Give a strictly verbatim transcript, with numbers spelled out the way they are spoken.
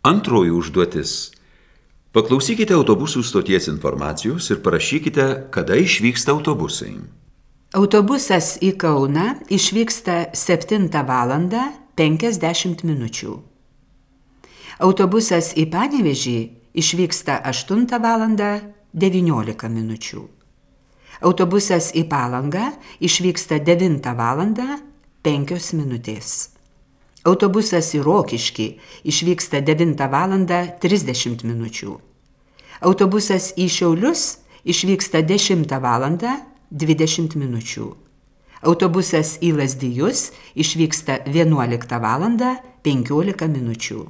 Antroji užduotis. Paklausykite autobusų stoties informacijos ir parašykite, kada išvyksta autobusai. Autobusas į Kauną išvyksta septintą valandą penkiasdešimt minučių. Autobusas į Panevėžį išvyksta aštuntą valandą devyniolika minučių. Autobusas į Palangą išvyksta devintą valandą penkios minutės. Autobusas į Rokiškį išvyksta devintą valandą trisdešimt minučių. Autobusas į Šiaulius išvyksta dešimtą valandą dvidešimt minučių. Autobusas į Lazdijus išvyksta vienuoliktą valandą penkiolika minučių.